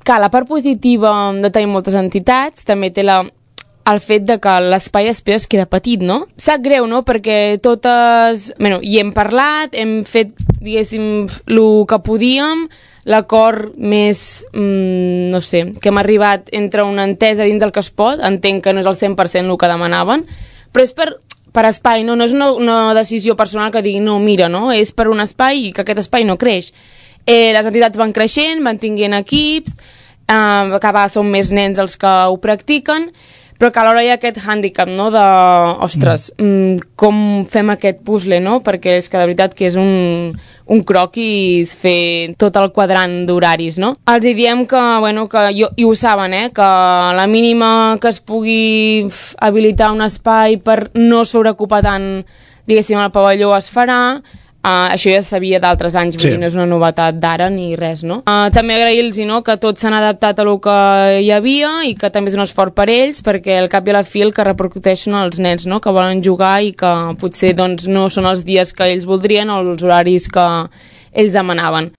Que la part positiva de tenir moltes entitats també té el fet de que l'espai després queda petit, no? Sap greu, no?, perquè totes... Bueno, hi hem parlat, hem fet, diguéssim, el que podíem, l'acord més, no sé, que hem arribat entre una entesa dins del que es pot, entenc que no és el 100% el que demanaven, però és per espai, no és una decisió personal que digui, no, mira, no?, és per un espai i que aquest espai no creix. Les entitats van creixent, van tinguent equips, a vegades són més nens els que ho practiquen, però que alhora hi ha aquest hàndicap, no?, de, ostres, com fem aquest puzzle, no?, perquè és que de veritat que és un croquis fer tot el quadrant d'horaris, no? Els diem que, bueno, i ho saben, que la mínima que es pugui habilitar un espai per no sobreocupar tant, diguéssim, el pavelló es farà. Això ja sabia d'altres anys, vull dir, no és una novetat d'ara ni res, no? També agrair-los, no?, que tots s'han adaptat a lo que hi havia i que també és un esforç per ells, perquè al cap i a la fi el que repercuteixen els nens, no?, que volen jugar i que potser doncs, no són els dies que ells voldrien o els horaris que ells demanaven.